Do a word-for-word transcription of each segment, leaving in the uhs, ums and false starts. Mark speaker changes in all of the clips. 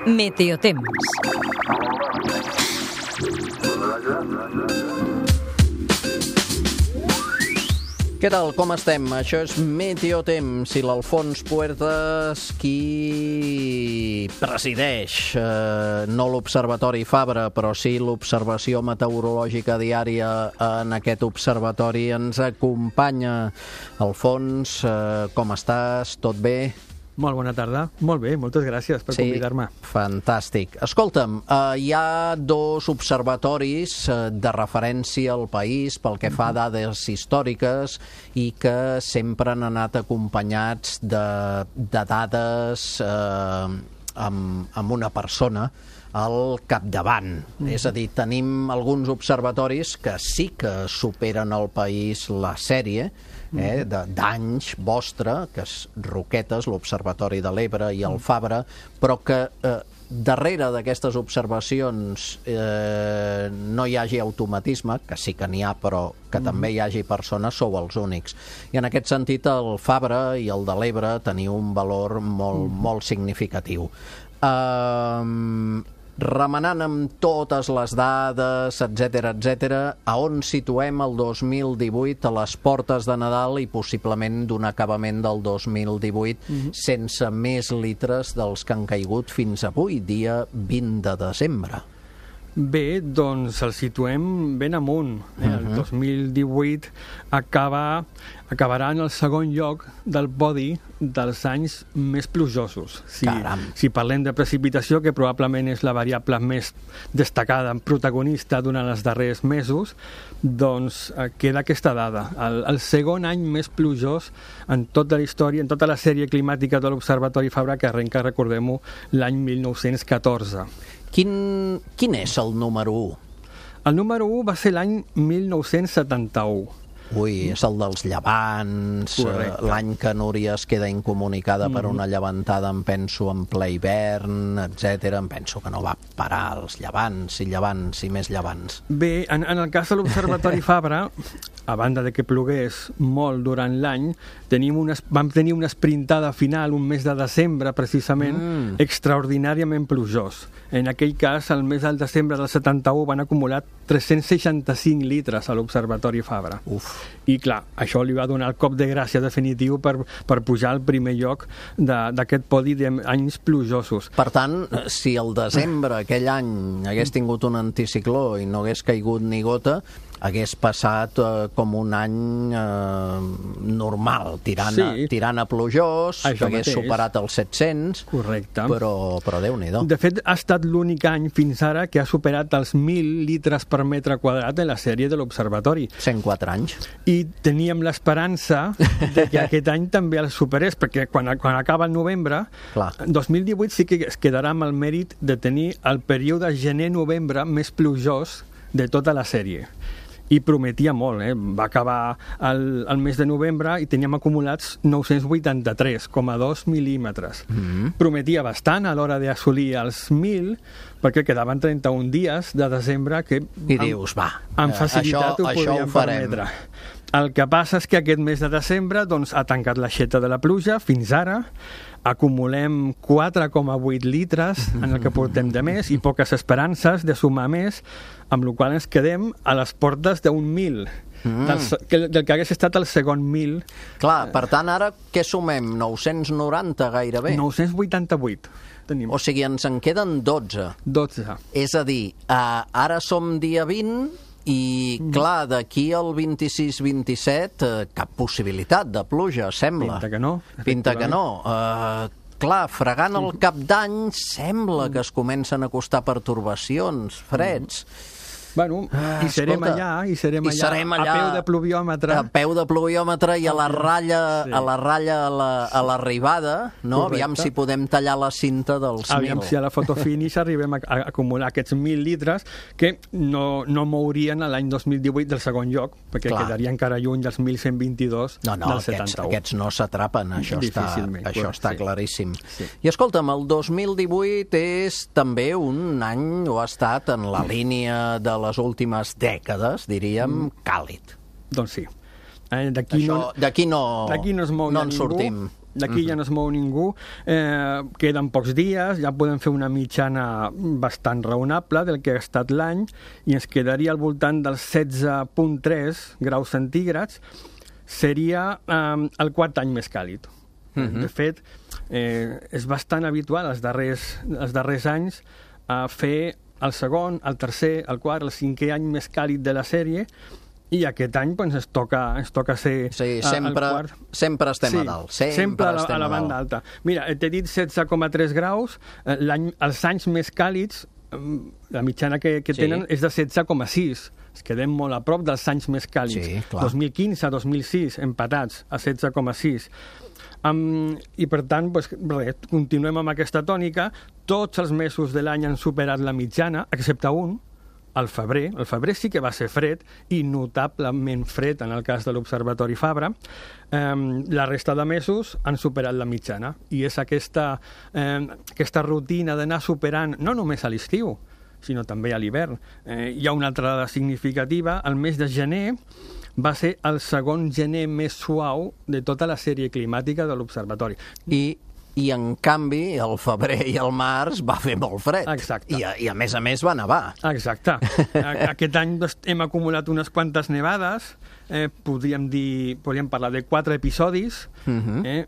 Speaker 1: Meteotemps.
Speaker 2: Què tal, com estem? Això és Meteotemps i l'Alfons Puertas qui presideix eh, no l'Observatori Fabra, però sí l'observació meteorològica diària en aquest observatori. Ens acompanya Alfons, eh, com estàs? Tot bé?
Speaker 3: Molt bona tarda. Molt bé, moltes gràcies per
Speaker 2: sí,
Speaker 3: convidar-me.
Speaker 2: Fantàstic. Escolta'm, eh, hi ha dos observatoris eh, de referència al país pel que fa a dades històriques i que sempre han anat acompanyats de, de dades eh, amb, amb una persona al capdavant. Mm. És a dir, tenim alguns observatoris que sí que superen al país la sèrie, eh, d'anys vostre, que és Roquetes, l'Observatori de l'Ebre i el Fabra, però que eh, darrere d'aquestes observacions eh, no hi hagi automatisme, que sí que n'hi ha, però que mm. també hi hagi persones, sou els únics. I en aquest sentit el Fabra i el de l'Ebre teniu un valor molt, mm. molt significatiu. Uh, remenant amb totes les dades, etcètera, etcètera, a on situem el dos mil divuit a les portes de Nadal i possiblement d'un acabament del dos mil divuit mm-hmm. sense més litres dels que han caigut fins avui, dia vint de desembre.
Speaker 3: Bé, doncs el situem ben amunt. Eh? El
Speaker 2: Uh-huh.
Speaker 3: dos mil divuit acaba, acabarà en el segon lloc del podi dels anys més plujosos. Si, si parlem de precipitació, que probablement és la variable més destacada, protagonista durant els darrers mesos, doncs eh, queda aquesta dada. El, el segon any més plujós en tota la història, en tota la sèrie climàtica de l'Observatori Fabra, que arrenca, recordem-ho, l'any mil nou-cents catorze.
Speaker 2: Quin, quin és el número u?
Speaker 3: El número u va ser l'any mil nou-cents setanta-u.
Speaker 2: Ui, és el dels llevants,
Speaker 3: Correcte.
Speaker 2: l'any que Núria es queda incomunicada mm. per una llevantada, em penso, en ple hivern, etcètera. Em penso que no va parar els llevants i llevants i més llevants.
Speaker 3: Bé, en, en el cas de l'Observatori Fabra, a banda de que plogués molt durant l'any, tenim una, vam tenir una esprintada final, un mes de desembre, precisament, mm. extraordinàriament plujós. En aquell cas, el mes del desembre del setanta-u van acumular tres-cents seixanta-cinc litres a l'Observatori Fabra.
Speaker 2: Uf.
Speaker 3: I clar, això li va donar el cop de gràcia definitiu per, per pujar al primer lloc d'aquest podi d'anys plujosos.
Speaker 2: Per tant, si el desembre aquell any hagués tingut un anticicló i no hagués caigut ni gota, hagués passat eh, com un any eh, normal, tirant, sí. a, tirant a plujós,
Speaker 3: Això
Speaker 2: que hagués
Speaker 3: mateix.
Speaker 2: superat els set-cents,
Speaker 3: Correcte.
Speaker 2: Però, però Déu-n'hi-do.
Speaker 3: De fet, ha estat l'únic any fins ara que ha superat els mil litres per metre quadrat en la sèrie de l'Observatori.
Speaker 2: cent quatre anys.
Speaker 3: I teníem l'esperança de que aquest any també el superés, perquè quan, quan acaba el novembre,
Speaker 2: Clar.
Speaker 3: dos mil divuit sí que es quedarà amb el mèrit de tenir el període gener-novembre més plujós de tota la sèrie. I prometia molt, eh? Va acabar el, el mes de novembre i teníem acumulats nou-cents vuitanta-tres coma dos mil·límetres. Mm-hmm. Prometia bastant a l'hora d'assolir els mil, perquè quedaven trenta-un dies de desembre que
Speaker 2: I
Speaker 3: amb,
Speaker 2: dius, va,
Speaker 3: amb facilitat
Speaker 2: això,
Speaker 3: ho
Speaker 2: això
Speaker 3: podíem
Speaker 2: ho farem.
Speaker 3: permetre. El que passa és que aquest mes de desembre doncs, ha tancat l'aixeta de la pluja fins ara, acumulem quatre coma vuit litres en el que portem de mes i poques esperances de sumar més, amb la qual ens quedem a les portes d'un mil, mm. del, del que hagués estat el segon mil.
Speaker 2: Clar, per tant, ara què sumem? nou-cents noranta gairebé?
Speaker 3: nou-cents vuitanta-vuit. Tenim.
Speaker 2: O sigui, ens en queden dotze.
Speaker 3: dotze.
Speaker 2: És a dir, uh, ara som dia vint i, clar, d'aquí al vint-i-sis vint-i-set uh, cap possibilitat de pluja, sembla.
Speaker 3: Pinta que no.
Speaker 2: Pinta que no. Uh, clar, fregant el cap d'any sembla que es comencen a acostar pertorbacions, freds.
Speaker 3: Bueno,
Speaker 2: Ah,
Speaker 3: i serem
Speaker 2: escolta,
Speaker 3: allà, i serem
Speaker 2: i
Speaker 3: allà,
Speaker 2: serem allà
Speaker 3: a peu de pluviòmetre.
Speaker 2: A peu de pluviòmetre i a la ratlla,
Speaker 3: Sí.
Speaker 2: a la ratlla a la- a l'arribada, no?
Speaker 3: Correcte.
Speaker 2: Aviam si podem tallar la cinta dels
Speaker 3: Aviam
Speaker 2: mil.
Speaker 3: si a la fotofinish arribem a, a acumular aquests mil litres que no, no mourien a l'any dos mil divuit del segon lloc, perquè
Speaker 2: Clar.
Speaker 3: quedaria encara lluny dels mil cent vint-i-dos
Speaker 2: No, no,
Speaker 3: del
Speaker 2: aquests,
Speaker 3: setanta-u.
Speaker 2: aquests no s'atrapen, això està,
Speaker 3: Difícilment,
Speaker 2: això
Speaker 3: correcte,
Speaker 2: està
Speaker 3: sí.
Speaker 2: claríssim.
Speaker 3: Sí.
Speaker 2: I escolta'm, el dos mil divuit és també un any, o ha estat en la línia de les últimes dècades, diríem, càlid.
Speaker 3: Doncs sí. Eh, D'aquí
Speaker 2: Això,
Speaker 3: no,
Speaker 2: d'aquí no,
Speaker 3: d'aquí no es mou
Speaker 2: no
Speaker 3: ja
Speaker 2: en
Speaker 3: ningú.
Speaker 2: sortim.
Speaker 3: d'aquí uh-huh. ja no es mou ningú, eh, queden pocs dies, ja podem fer una mitjana bastant raonable del que ha estat l'any, i ens quedaria al voltant dels setze coma tres graus centígrads. Seria eh, el quart any més càlid. Uh-huh. De fet, eh, és bastant habitual els darrers, els darrers anys a fer el segon, el tercer, el quart, el cinquè any més càlid de la sèrie, i aquest any doncs, ens, toca, ens toca ser
Speaker 2: sí, sempre,
Speaker 3: el quart.
Speaker 2: Sempre estem
Speaker 3: sí,
Speaker 2: a dalt. Sempre,
Speaker 3: sempre a la,
Speaker 2: estem
Speaker 3: a la banda alta. Mira, t'he dit setze coma tres graus, l'any, els anys més càlids, la mitjana que, que sí. tenen és de setze coma sis. Es quedem molt a prop dels anys més càlids.
Speaker 2: Sí,
Speaker 3: dos mil quinze dos mil sis, empatats a setze coma sis. Um, I per tant, pues, res, continuem amb aquesta tònica. Tots els mesos de l'any han superat la mitjana, excepte un, el febrer. El febrer sí que va ser fred, i notablement fred en el cas de l'Observatori Fabra. Um, la resta de mesos han superat la mitjana, i és aquesta, um, aquesta rutina d'anar superant no només a l'estiu, sinó també a l'hivern. Eh, hi ha una altra dada significativa. El mes de gener va ser el segon gener més suau de tota la sèrie climàtica de l'Observatori.
Speaker 2: I, i en canvi, el febrer i el març va fer molt fred.
Speaker 3: Exacte.
Speaker 2: I, a, i a més a més va nevar.
Speaker 3: Exacte. Aquest any doncs, hem acumulat unes quantes nevades. Eh, podríem dir, podríem parlar de quatre episodis, uh-huh. eh,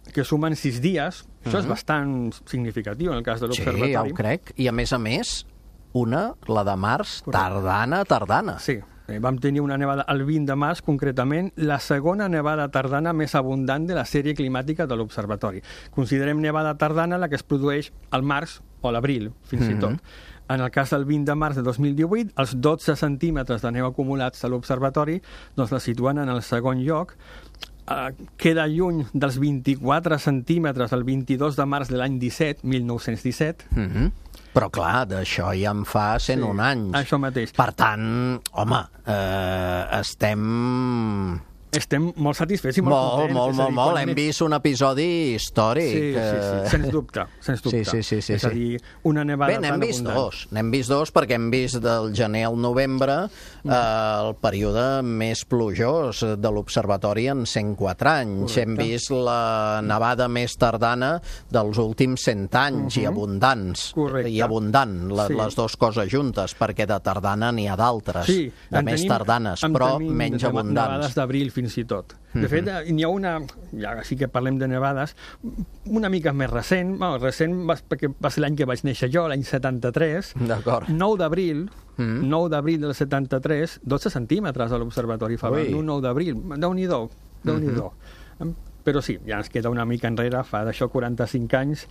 Speaker 3: que sumen sis dies. Això uh-huh. és bastant significatiu en el cas de l'Observatori.
Speaker 2: Sí, ja ho crec. I a més a més, una, la de març, tardana, tardana.
Speaker 3: Sí. Vam tenir una nevada el vint de març, concretament, la segona nevada tardana més abundant de la sèrie climàtica de l'Observatori. Considerem nevada tardana la que es produeix al març o a l'abril, fins mm-hmm. i tot. En el cas del vint de març de dos mil divuit, els dotze centímetres de neu acumulats a l'Observatori doncs la situen en el segon lloc. Uh, queda lluny dels vint-i-quatre centímetres el vint-i-dos de març de l'any disset, mil nou-cents disset.
Speaker 2: Mm-hmm. Però clar, d'això ja en fa cent un
Speaker 3: sí,
Speaker 2: anys.
Speaker 3: Això mateix.
Speaker 2: Per tant, home, eh, estem...
Speaker 3: Estem molt satisfets i molt,
Speaker 2: molt
Speaker 3: contents.
Speaker 2: Molt, molt, molt. Hem vist un episodi històric.
Speaker 3: Sí, sí, sí, sens dubte. Sens dubte.
Speaker 2: Sí, sí, sí, sí,
Speaker 3: és a dir, una nevada
Speaker 2: Bé, n'hem vist
Speaker 3: abundant.
Speaker 2: dos. N'hem vist dos perquè hem vist del gener al novembre eh, el període més plujós de l'Observatori en cent quatre anys. Correcte. Hem vist la nevada més tardana dels últims cent anys uh-huh. i abundants.
Speaker 3: Correcte.
Speaker 2: I abundant, la,
Speaker 3: sí.
Speaker 2: les dues coses juntes, perquè de tardana n'hi ha d'altres,
Speaker 3: sí,
Speaker 2: de més
Speaker 3: tenim,
Speaker 2: però
Speaker 3: tenim
Speaker 2: menys abundants.
Speaker 3: Nevades d'abril fins i tot. De fet, n'hi ha una, ja sí que parlem de nevades, una mica més recent, bueno, recent va, perquè va ser l'any que vaig néixer jo, l'any setanta-tres, nou d'abril, mm. nou d'abril del setanta-tres, dotze centímetres a l'Observatori Fabra, un nou d'abril, Déu-n'hi-do, Déu-n'hi-do. Mm-hmm. Però sí, ja ens queda una mica enrere, fa d'això quaranta-cinc anys,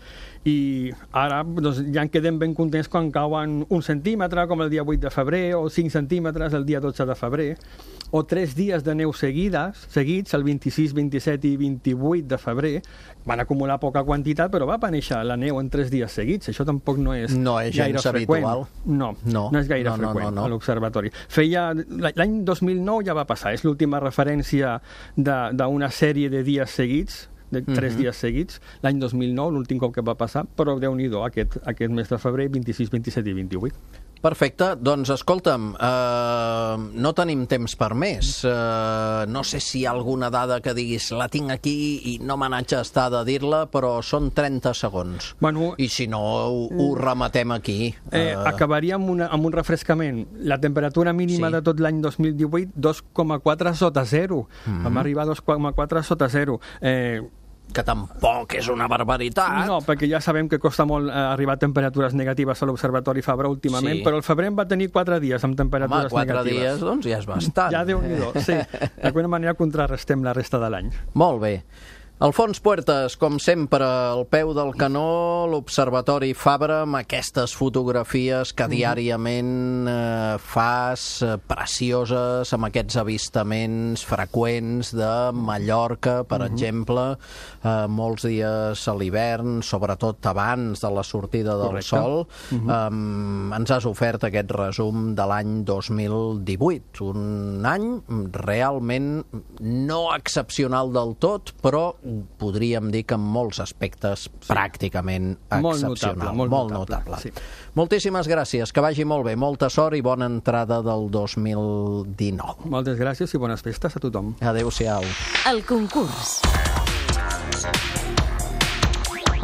Speaker 3: i ara doncs, ja en quedem ben contents quan cauen un centímetre, com el dia vuit de febrer, o cinc centímetres el dia dotze de febrer, o tres dies de neu seguides, seguits, el vint-i-sis, vint-i-set i vint-i-vuit de febrer. Van acumular poca quantitat, però va aparèixer la neu en tres dies seguits. Això tampoc no és,
Speaker 2: no és
Speaker 3: gaire freqüent.
Speaker 2: Habitual.
Speaker 3: No, no, no és gaire
Speaker 2: no,
Speaker 3: freqüent
Speaker 2: no, no, no.
Speaker 3: a l'Observatori. Feia... L'any dos mil nou ja va passar, és l'última referència d'una sèrie de dies seguits, de tres uh-huh. dies seguits, l'any dos mil nou, l'últim cop que va passar, però Déu-n'hi-do, aquest, aquest mes de febrer, vint-i-sis, vint-i-set i vint-i-vuit.
Speaker 2: Perfecte, doncs escolta'm, eh, no tenim temps per més. Eh, no sé si hi ha alguna dada que diguis la tinc aquí i no me n'haig d'estar de dir-la, però són trenta segons.
Speaker 3: Bueno,
Speaker 2: I si no, ho, ho rematem aquí.
Speaker 3: Eh, eh... Acabaria amb, una, amb un refrescament. La temperatura mínima sí. de tot l'any dos mil divuit, dos coma quatre sota zero. Mm-hmm. Vam arribar a dos coma quatre sota zero. Eh,
Speaker 2: que tampoc és una barbaritat.
Speaker 3: No, perquè ja sabem que costa molt eh, arribar a temperatures negatives a l'Observatori Fabra últimament, sí. però el febrer en va tenir quatre dies amb temperatures
Speaker 2: Home, quatre
Speaker 3: negatives.
Speaker 2: quatre dies, doncs ja és bastant.
Speaker 3: Ja Déu-n'hi-do, sí. D'alguna manera contrarrestem la resta de l'any.
Speaker 2: Molt bé. Alfons Puertas, com sempre, al peu del canó, l'Observatori Fabra, amb aquestes fotografies que diàriament eh, fas, eh, precioses, amb aquests avistaments freqüents de Mallorca, per uh-huh. exemple, eh, molts dies a l'hivern, sobretot abans de la sortida del
Speaker 3: Correcte.
Speaker 2: sol.
Speaker 3: Uh-huh.
Speaker 2: Eh, ens has ofert aquest resum de l'any dos mil divuit, un any realment no excepcional del tot, però podríem dir que en molts aspectes sí. pràcticament
Speaker 3: molt
Speaker 2: excepcional.
Speaker 3: Notable, molt,
Speaker 2: molt
Speaker 3: notable.
Speaker 2: notable.
Speaker 3: Sí.
Speaker 2: Moltíssimes gràcies, que vagi molt bé, molta sort i bona entrada del dos mil dinou.
Speaker 3: Moltes gràcies i bones festes a tothom.
Speaker 2: Adéu-siau.
Speaker 1: El concurs.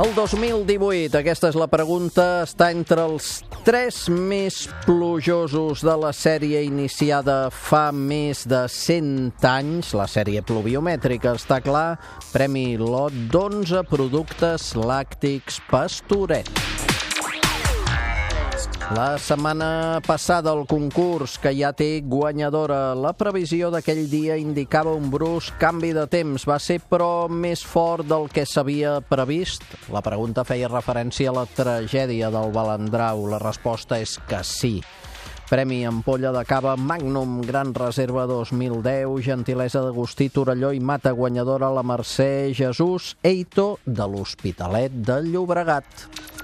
Speaker 2: El dos mil divuit, aquesta és la pregunta, està entre els tres més plujosos de la sèrie iniciada fa més de cent anys, la sèrie pluviomètrica, està clar, premi lot d'onze productes làctics Pastoret. La setmana passada el concurs que ja té guanyadora. La previsió d'aquell dia indicava un brusc canvi de temps. Va ser, però, més fort del que s'havia previst? La pregunta feia referència a la tragèdia del Balandrau. La resposta és que sí. Premi ampolla de cava Magnum Gran Reserva dos mil deu, gentilesa d'Agustí Torelló i Mata, guanyadora la Mercè Jesús Eito de l'Hospitalet de Llobregat.